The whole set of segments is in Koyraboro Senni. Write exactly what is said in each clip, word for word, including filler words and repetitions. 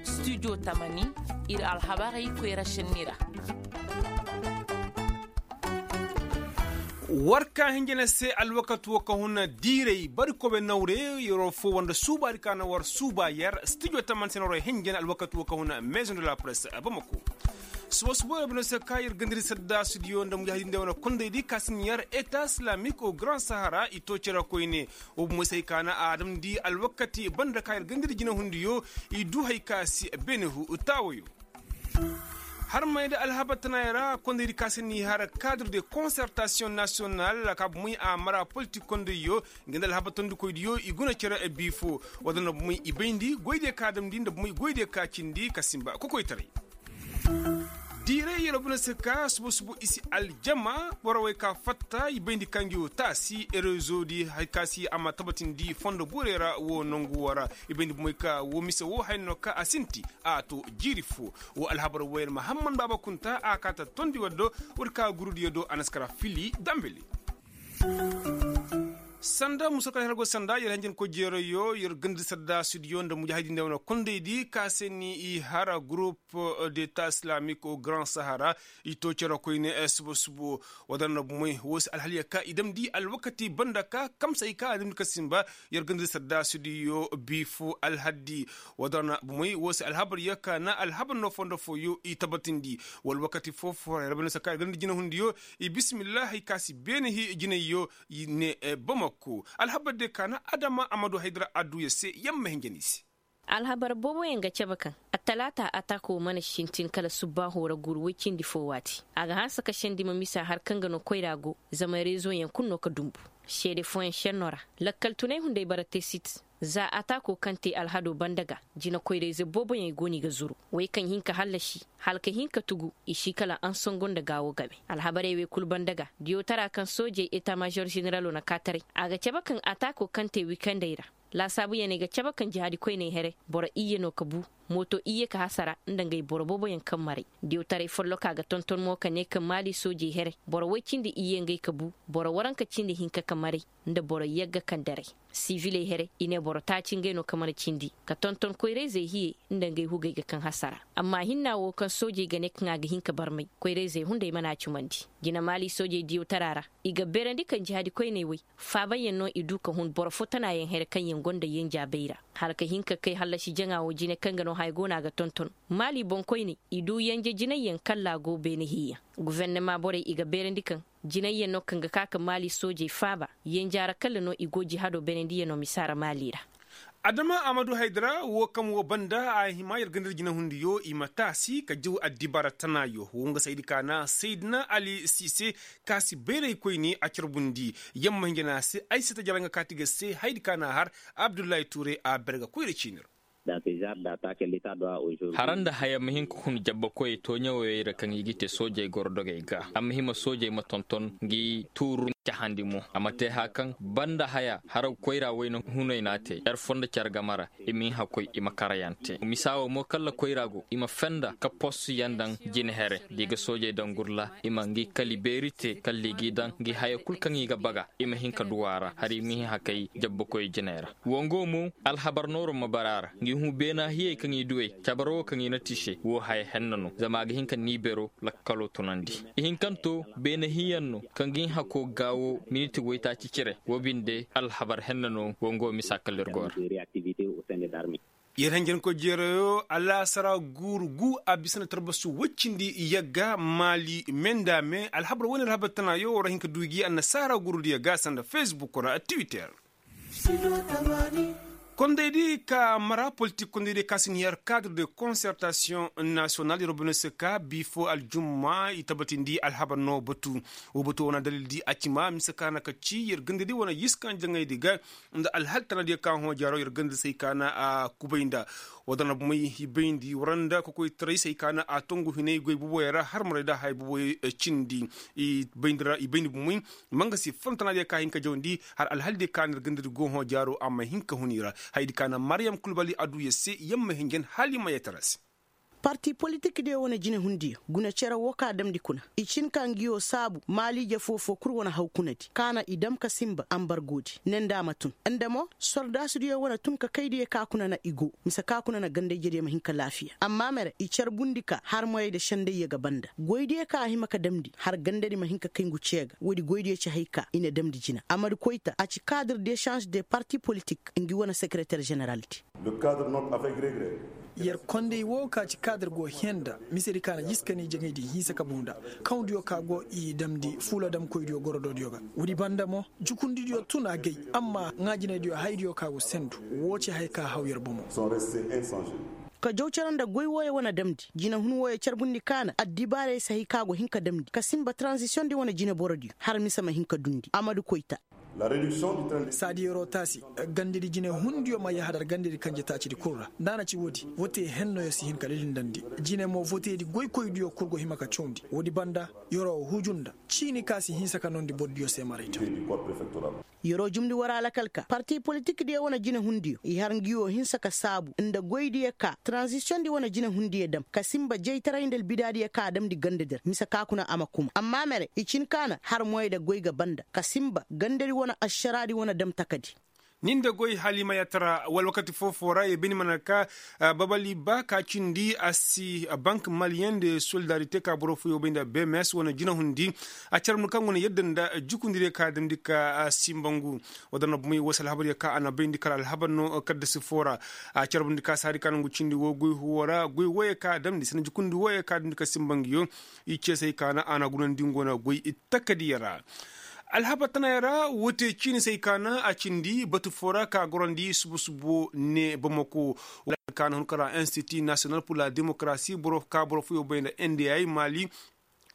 Studio tamani ir alhabarey koyra šenni ra. War ka hinjina se alwakati wo ka huna diiray bari kobe nawre yeroo foo wanda suubaadi ka na war suuba yer studio tamani se na war hinjina alwakati wo ka huna maison de la presse bamako. Suba suba yer bino se ka yer gandiri sadda studio nda mujahidin day wane kondaydi ka si ni yer eta islamik o grand sahara i to cere koyne. Wo bumo se hay ka na a damndi alwakati banda ka yer gandiri jinahundiyo i du hay ka si beene hu taawayo. Har may nda alhabar tanaayey ra kondaydi ka se ni har cadre de concertation national ka bumey a mara politik kondayyo. Nga nda alhabar tondikoydiyo i guna cere bii fo. Wala nda bumey i bayndi goydiyo ka damndi nda bumey goydiyo ka cindi ka simba kokoytaray. Diiray yer bine se ka suba suba i si aljama borowey ka fatta i bayndi ka ngi wo taasi erezo di hari ka si a ma tabatindi fondo borey ra wo nangu wo ra. I bayndi bumey ka wo mise wo haya no ka a sinti a to jiiri fo. Wo alhabar woyer mahamman baaba kunta a kaata tondi waddo. War ka gurudiyo do a na si kara fili dambele. Sanda musa kala hergo sanda yer hanjankoy jeerayyo yer gandi sadda studio nda mujahidinde wane kondaydi ka se ni i hara gurup de ta islamik o grand sahara. I to cere koyne suba suba wo da na bumey wo se alhaliya ka i damndi alwakati banda ka kamsay ka a damndi ka simba. Yer gandi sadda studio bi fo alhaddi wo da na bumey wo se alhabar ya ka na alhabar no fondo fooyo i tabatindi. Wala wakati foo foo yer banda saka yer ganda jinahundiyo i bismillah hay ka si beene hi jinayyo. I ne bamako alhabar de ka na adama amadu haydara adduya se yamma hinja ni se. Alhabar booboyaŋ ga cabe kaŋ attalaata ataako mana sintin kala subbaaho ra guuru woy cindi foo waati a ga hanse ka sendi ma misa har kaŋ ga no koyra go. Zama reezoyaŋ kulu no ka dumbu seede fooyaŋ senno ra. Lakkal tunay hunday bara te sit za ataako kaŋ te alhado banda ga. Jinakoyrayze booboyaŋ i go no i ga zuru wey kaŋ hin ka hallasi hala ka hin ka tugu i si kala ansongo nda gaawo game. Alhabarey wey kulu banda ga diyawtara kaŋ soojey eta mažor ženeralo na kaataray a ga cabe kaŋ ataako kaŋ te wikandey ra. Laasaabuyaney ga cabe kaŋ jihaadi koyney here boro iyye no ka bu mooto iyye ka hasara nda ngey boro booboyaŋ kaŋ maray. Diyawtaray folloka ga tonton mo ka ne kaŋ maali soojey here boro woy cindi iyye ngey ka bu boro waranka cindi hinka ka maray nda boro yagga kaŋ daray. Siviley here i ne boro taaci ngey no ka mana cindi ka tonton koyrayzey hiye nda ngey hugey ga kaŋ hasara. Amma hinna wo kaŋ soojey ga ne kaŋ a ga hin ka barmay koyrayzey hunday mana a cumandi. Jina maali soojey diyawtara ra i ga beerandi kaŋ jihaadi koyney wey faabayaŋ no i du ka hun boro fo tanaayaŋ here kaŋ yaŋ gonda yenja bay ra. Hala ka hin ka kay hallasi jaŋa wo jine kaŋ ga no haya go no a ga tonton maali boŋkoyney i du yenje jinayyaŋ kalla go beene hiiyaŋ. Gufernama borey i ga beerandi kaŋ jinayyaŋ no kaŋ ga ka ka maali soojey faaba yenja ra kalla no i go jihaado beenandiyaŋo misa ra maali ra. Adama amadu haydara wo kaŋ wo banda a hima yer ganda jinahundiyo i ma taasi ka jaw addibara tanaayo wo nga saydi ka na saydina ali siise ka si bayray koyne a carbundi. Yamma hinja no a se ay si ta jara nga kaati ga se haydi ka na har abdullahi tuuray a ber ga koyra ciini ra. Hara nda haya ma hin ka hun jabbakoyey tooɲawey ra kaŋ i ga te soojey goro dogey ga a ma hima soojey ma tonton ngi tuuru cahandi mo a ma te haya kaŋ banda haya hara koyra wayna hunay no a te yer fondo care game ra. I ma hin ka koy i ma karayaŋ te misa wo mo kalla koyra go i ma fenda ka post yaŋ daŋ jine here da i ga soojey daŋ gurla i ma ngi kali beeri te kalla i g'i daŋ ngi haya kulu kaŋ i ga baga i ma hin ka duw'a ra hala i ma hin ka kay jabbakoyey jiney ra. Wango mo alhabar nooro ma bara a ra ngi huu beena hiyey kaŋ i duwey cabar wo kaŋ i na ti se wo haya henna no zama a ga hin ka niibero lakkalo tunandi. Ihinkanto beene hiyaŋ no kaŋ ga hin hako gaawo miniti waytaaci cire wo binde alhabar henna no wango misa kala ir go ra. Yer hanjankoy jeerayo alaasara guuru gu a bisa nda tarbasu woy cindi yagga maali me nda me alhabar wane alhabar tana yo war hin ka du gi annasaara guuru diya ga sanda facebook ra twitter. Kondaydi ka mara politik kondaydi ka si ni har kadre de konsertasiyoŋ nasiyonal yer wo bine se ka biifo aljumma i tabatindi alhabar no batu. Wo batu wane dalildi a cima mise ka na ka ci yer gandadi wane yiskaŋ jaŋaydi ga nda alhal tanadiyo ka hõ jaaro yer gandadi se ay ka na a kubay nda. Wadana bumey i bayndi waranda kokoytaray se ay ka na a tongu hinay goy buboyey ra har maray da haya buboyey cindi. I bayndi ra i bayndi bumey mangasi fontanadiyo ka hin ka jawandi har alhaldiyo ka na ir gandadi go hõ jaaro a ma hin ka hun i ra. Hayadi ka na maryam kulbali aduya se yamma hinjan hala i ma yetara se. Parti politik diyo wane jinehundiyo guna cere woo ka damndi kuna. I cin ka ngi woo saabu maaliije foo-foo kul wane haw kuna di ka na i dam ka sinba ambargoodi ne nda a ma tun. Nda mo sordaasudiyo wane tun ka kaydiyo ka kuna na i go mise ka kuna na ganda-ijediyo ma hin ka laafiya amma mere i carbundi ka har moyey nda sendayyo ga banda goydiyo ka a hima ka damndi har gandadi ma hin ka kay ngu cee ga woodi goydiyo ci hay ka i na damndi jina amadu koyta a ci kaadir desanž de parti politik ngi wane sekereter ženeraldi. Yer konday woo ka ci kaadir go hẽe nda misedi ka na jiskani jaŋaydi hinsa ka buu nda kawdiyo ka go i damndi fuula damkoydiyo gorodoodiyo ga. Woodi banda mo jukundidiyo tun agay amma ŋaajinaydiyo haydiyo ka go sendu. Woo ci haya ka haw yer bomo. Ka jaw cere nda goy wooyo wane damndi jinehun wooyo carbundi ka na addibaarey si hay ka go hin ka damndi ka sinba taranzisiyondi wane jineborodiyo har mise ma hin ka dundi amadu koyta. Saadi yeroo taasi gandadi jinehundiyo ma yahadar gandadi kanjetaacidi kul ra nda a na ci woodi vote hennoyo si hin ka lilindandi. Jine mo voteedi goykoydiyo kul go hima ka cawndi woodi banda yeroo huju nda ciini ka si hinsa ka noondi bordiyo se marayta. Yeroo jumndi war alakal ka parti politikdiyo wane jinehundiyo i har ngi woo hinsa ka saabu nda goydiyo ka taranzisiyondi wane jinehundiyo dam ka sinba jaytaray nda albidaadiyo ka a damndi ganda der mise ka kuna a ma kuma amma mere i cin ka na har moyey nda goy ga banda ka sinba gandadi wane ašaraadi wane dam takadi. Ni nda goy halimayatara wala wakati foo-foo ra yer bini mana ka babali ba ka cindi a si bank maliyen de solidarite ka boro fooyoo bay nda bms wane jinahundi a carabndi kaŋ go na yadda nda jukundidiyo ka damndi ka sinba ngu. Wala da na bumey woo si alhabaryo ka a na bayndi kala alhabar no kaddasi foo ra a carabndi ka saadi ka na ngu cindi woo goy huwo ra goy wooyo ka damndi sanda jukundi wooyo ka damndi ka sinba nguyo. I ceesay ka na a na gunandi ngu wane goy takadiyo ra. Alhabar tanaayo ra woo te ciini se ay ka na a cindi batu foo ra ka gorandi subu-subu ne bamako. Wala ka na hun ka ra institut national pur la demokarasi boro ka boro fooyoo bay nda n d i mali.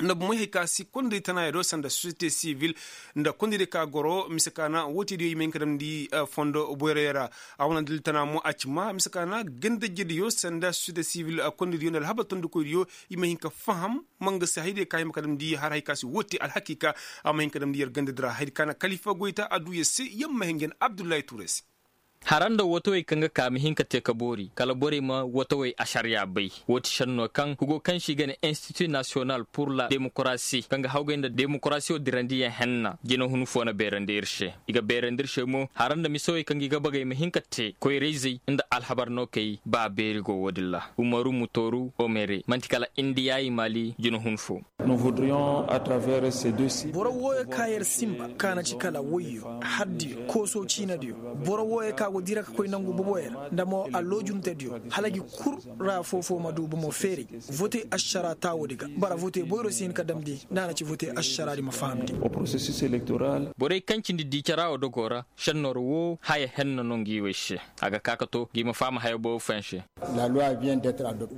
Nda bomey hay ka si kondey tanaayo do sanda sosiyete sivil nda kondey diyo ka goro mise ka na woo te diyo i ma hin ka damndi fondo boyroyo ra. A wane dalil tana mo a ci ma mise ka na gandajediyo sanda sosiyete sivil kondey diyo nda alhabar tondikoy diyo i ma hin ka faham. Ma nga se hayadiyo ka hima ka damndi har hay ka si woo te alhakiika. A ma hin ka damndi yer gandadi ra hayadi ka na kalifa goyta a duu yer se yer ma hin ga ne abdullahi tuure se. Hara nda watawey kaŋ ga ka ma hin ka te ka boori kala borey ma watawey ašariya bay. Woo ti šennoo kaŋ hugo kaŋ se i ga ne institut nasiyonal pur la demokarasi kaŋ ga hawgay nda demokarasiyo dirandiyaŋ henna jinahun foo na beerandi ir se. I ga beerandi ir se mo hara nda misawey kaŋ ga i ga bagey ma hin ka te koyra-izey nda alhabar nookey ba beeri go woo din ra. Umaru mutooru omere man'ti kala indiyayi maali jinahun foo. Boro wooyo ka yer sinba ka na ci kala woyyo hardiyo kooso ciinadiyo. Boro wooyo ka go dira ka koy nangu boboyo ra nda mo aloojuntediyo hala gi kul ra foo-foo ma du bomo feeray. Vote ašaraa taawodi ga bara vote boyro si hin ka damndi nda a na ci vote ašaraadi ma fahamndi. Borey kaŋ cindi diicaraa wo dogoo ra šennoor woo haya henna no ngi wey se. A ga ka ka to ngi ma faham haya boobo fooyaŋ se.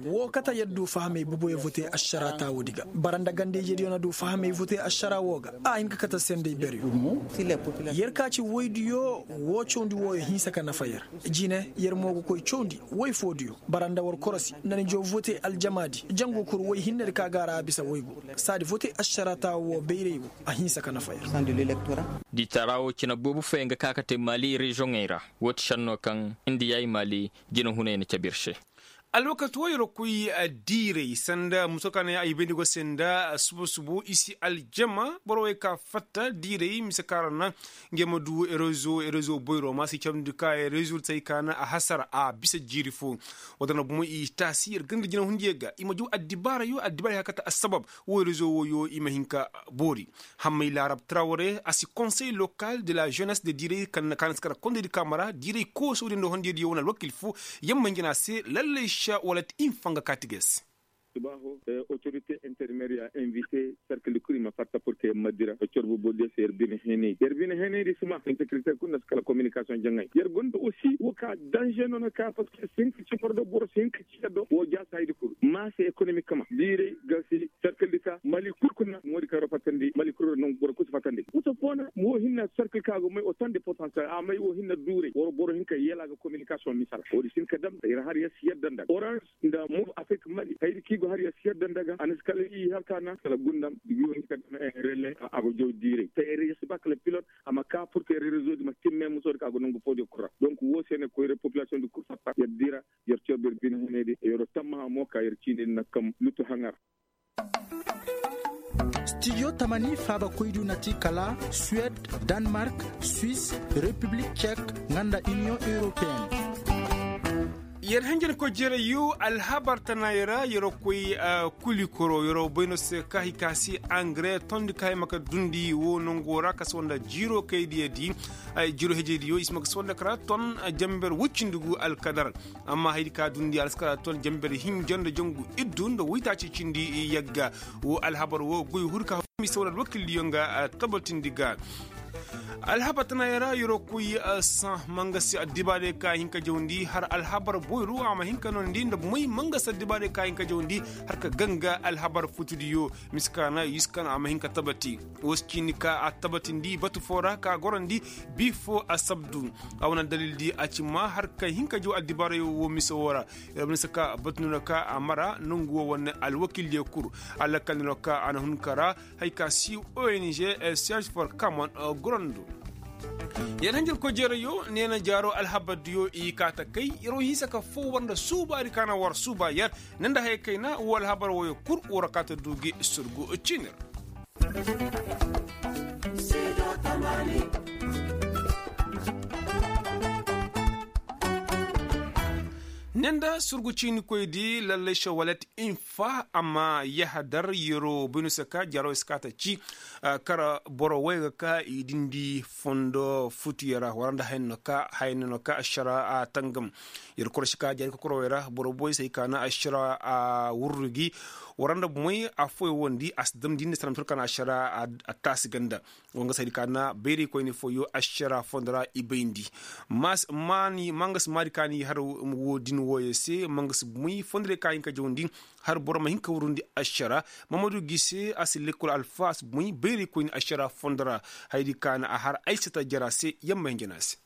Woo kate yer du fahamey boboyo vote ašaraa taawoodi ga bara nda ganda-ijediyo na du fahamey vote ašaraa woo ga. A hin ka kate senday beryo. Yer ka ci woydiyo woo cawndi wooyo hinsa ka nafa yer. Jine yer mo ga koy cawndi woy foodiyo bara nda war korosi nda ni jaw vote aljamaadi jangu kul woy hinnedi ka ga a ra a bisa woygu. Saadi vote ašaraa taawo woo bayray woo a hinsa ka nafa yer. Diitaraa woo cine boobo fooyaŋ ga ka ka te maali reziyoŋey ra. Woo ti šennoo kaŋ indiyayi maali jinahuney na cabe ir se. Alwakati woo yer koy diiray sanda muso ka na ay bayndi go se nda subo-subo i si aljama boro wey ka fatta diiray mise ka ra na ngey ma du rezo rezo boyro ma si camndi ka rezo tay ka na a hasara a bisa jiiri foo. Woo da na bomo i taasi yer ganda jinahundiyo ga i ma jaw addibaarayo addibaarayo ka kate assabab woo rezo wooyo i ma hin ka boori. Hammay laarab trawre a si konsey lokal de la jenes de diiray kaŋ na si kara kondaydi kaama ra diiray koosodiyo nda hondiyadiyo wane alwakil foo. Yamma hinja no a se lallay se wala ti i ma fanga kaati ga yer se. Subaaho otorite intermeer ya invite serkildi kul i ma fatta pur ke yer ma dira yer corbo bordiyo se yer bine heenaydi yer bine heenaydi si ma insekirite kul nda si kala kominikasiyoŋ jaŋay yer gonda osi woo ka danze no na ka parceque si hin ka ci boro do boro si hin ka ci yer do woo jaasi hayadi kul maase ekonomik kama diiray ga si serkildi ka mali kul kuna moodi kaŋ yer fattandi mali kul ra nangu boro kul si fattandi kusa foo na woo hinna serkil ka go may o tan de potansiyel a may woo hinna duuray war boro hin ka yeela ga kominikasiyoŋ misala woodi si hin ka dam yer har yer si yadda nda ga oranž nda move afrik mali hayadi kaŋ i go har yer si yadda nda ga a na si kala i har ka na kala gundam i go hin ka dam rele a go jaw diiray te yer yer si ba kala pilot a ma ka pur ke rezo di ma timme musoodi ka go nangu foodiyo kul ra donk woo se ne koyra popilasiyoŋ di kul fatta yer dira yer coobi yer bine henaydi yer tammaha mo. ka yer ciini na kam lutu haŋa ra. Stijo tamani faabakoydiyo na ti kala suwed, danmark, swis, repiblik cek, nga nda iniyoŋ europeyen. Yer hanjankoy jerayyo alhabar tanaayey ra yer koy, kulikoro yer bay no se ka hay ka se angare tondi ka hay ma ka dundi wo nango ra ka se wanda jiiro kaydiyo di. Jiiro hejeydiyo i si ma ka se wanda kara ton, janber woy cindi gu alkadar. Amma hayadi ka dundi a na si kara ton janber hinja nda jangu iddu nda woytaaci cindi yagga. Wo alhabar wo goy huru ka hawmi se wala alwakildiyo nga tabatindi ga. Alhabar tanaayey ra yeroo koy saŋ mangasi addibaarey ka hin ka jawndi har alhabar boyru a ma hin ka noondi nda moy mangasi addibaarey ka hin ka jawndi har ka ganga alhabar futudiyo. Miskaana yuskan a ma hin ka tabati wo si ciini ka a tabatindi batu foo ra ka gorandi. Bi foo asabdu a wane dalildi a ci ma har ka hin ka jaw addibaarey wo mise woo ra. Yer ma ni si ka batu no na ka a mara nongu woo wane alwakildiyo kul. Alakal no na ka a na hun ka ra. Hay ka si ong serge for kamon gorondu. Yer hanjarkoy jeerayyo neena jaaro alhabardiyo i kaa ta kay yer wo hinsa ka foo war nda suubaadi ka na war suuba yer. Ne nda haya kayna woo alhabar wooyo kul war kaa ta du gi surgu ciini ra. Ne nda surgu ciinikoydi lallay šawalet infa amma yahadar yeroo bay no se ka jaaroo se ka ta ci. Kara boro way ga ka i dindi fondo futuyo ra war nda haya no ka haya no ka ašara a tangam. Yer koroši ka jaari kokorowey ra boro boy se hay ka na ašara a wurru gi. War nda moy affooyo wondi a si damndi nda sanda ma tur ka na ašara a taasi ganda. Woo nga si haydi ka na bayraykoyni fooyo ašara fondo ra i bayndi. Mangasi maadi ka ni har woodin wooyo se mangasi moy fondorey ka hin ka jawndi. Har boro ma hin ka wurundi ašara. Mamadu gise a si lekkol alfa a si moy bayraykoyni ašara fondo ra. Haydi ka na a har aysata jara se yamma hin jana se.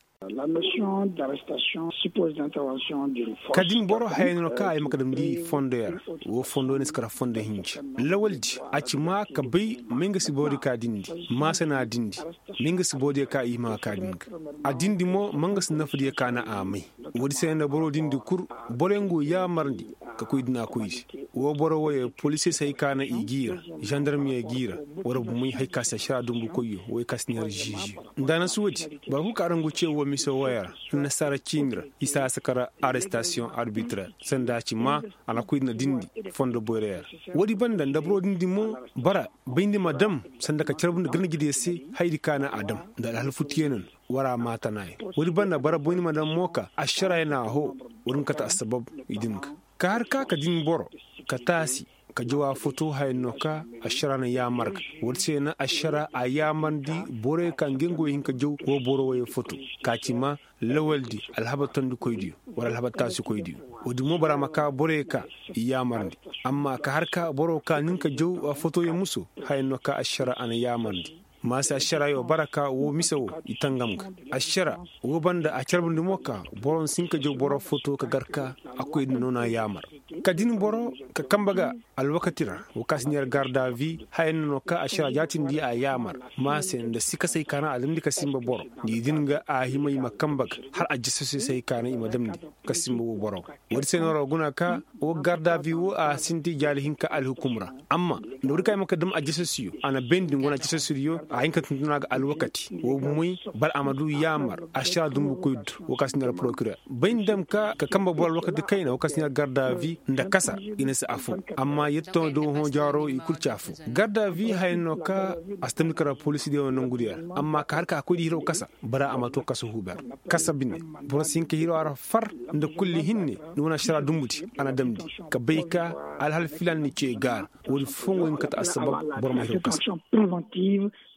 Ka din boro haya no ka ay ma ka damndi fondoyo ra. Woo fondo no si kara fondo hinja lawaldi a ci ma ka bay may nga si borodiyo ka dindi. Maasa na a dindi may nga si borodiyo ka i hima ka din ga. A dindi mo ma nga si nafadiyo ka na a may. Woodi se nda boro dindi kul boroyaŋ go yaamarndi ka koy dina koydi. Woo boro woyo polisey se hay ka na i g'i ra zandarmiyo g'i ra. War bumey hay ka si ašara dumbukoyyo woy ka si neera ziiziyo. Nda a na si woodi boro kul ka araŋ go ce woo mise wooyo ra. Annasaara ciini ra i si a si kara arestasiyoŋ arbitrer sanda a ci ma a na koy dina dindi fondo boyroyo ra. Woodi banda nda boro dindi mo bara bayndi ma dam sanda ka carbundi garnajediyo se. Hayadi ka na a dam nda alhal futtiyo no na war a maa tanaayo. Woodi banda bara bayndi ma dam mo ka ašaraayo na a hoo. Woodi nga kate assabab i din ga ka har ka ka din boro ka taasi ka jaw a foto haya no ka ašara na yaamar ga. Woodi se na ašara a yaamarndi boroyo ka nga nga wo hin ka jaw woo boro woyo foto ka ci ma lawaldi alhabar tondikoydiyo wala alhabar taasikoydiyo. Woodi mo bora ma ka boroyo ka i yaamarndi. Amma ka har ka boro ka nin ka jaw fotoyo muso haya no ka ašara a na yaamarndi. Maase ašaraayo bara ka woo mise woo i tangam ga. Ašara woo banda a carbundi mo ka boro nsi hin ka jaw boro foto ka gar ka a koy din no na yaamar. Ka din boro ka kambe ga alwakati ra woo ka si neera gardavi haya no no ka ašara jaatindi a yaamar. Maase nda sikasey ka na a damndi ka sinba boro ni din ga a hima i ma kambe ga har ajasasey se hay ka na i ma damndi ka sinba woo boro ga. Woodi se no ra guna ka woo gardavi woo a sinti jaali hinka alhukum ra. Amma nda woodi ka i ma ka dam ajasasiyo a na bayndi ngu wane ajasasiyo a hin ka tuntuna ga alwakati woo bumey boro a ma du yaamar ašara dumbukoy du woo ka si neera porokiror bay ni dam ka ka kambe boro alwakati kayna woo ka si neera gardavi nda kasa i na si affoo. Amma yetto da woo hõ jaaro i kul ci affoo gardavi haya no ka a si tamni kara polisidiyo nongudiyo ra. Amma ka har ka a koy di hiro kasa bara a ma to kasa huuber kasa bine. Boro si hin ka hiro a ra far nda kulli hinne ni wane ašara dumbudi a na damndi ka bay ka alhal filan ni ce gaara. Woodi foo nga wo hin kate assabab boro ma hiro kasa.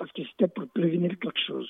Parce que c'était pour prevenir quelque chose.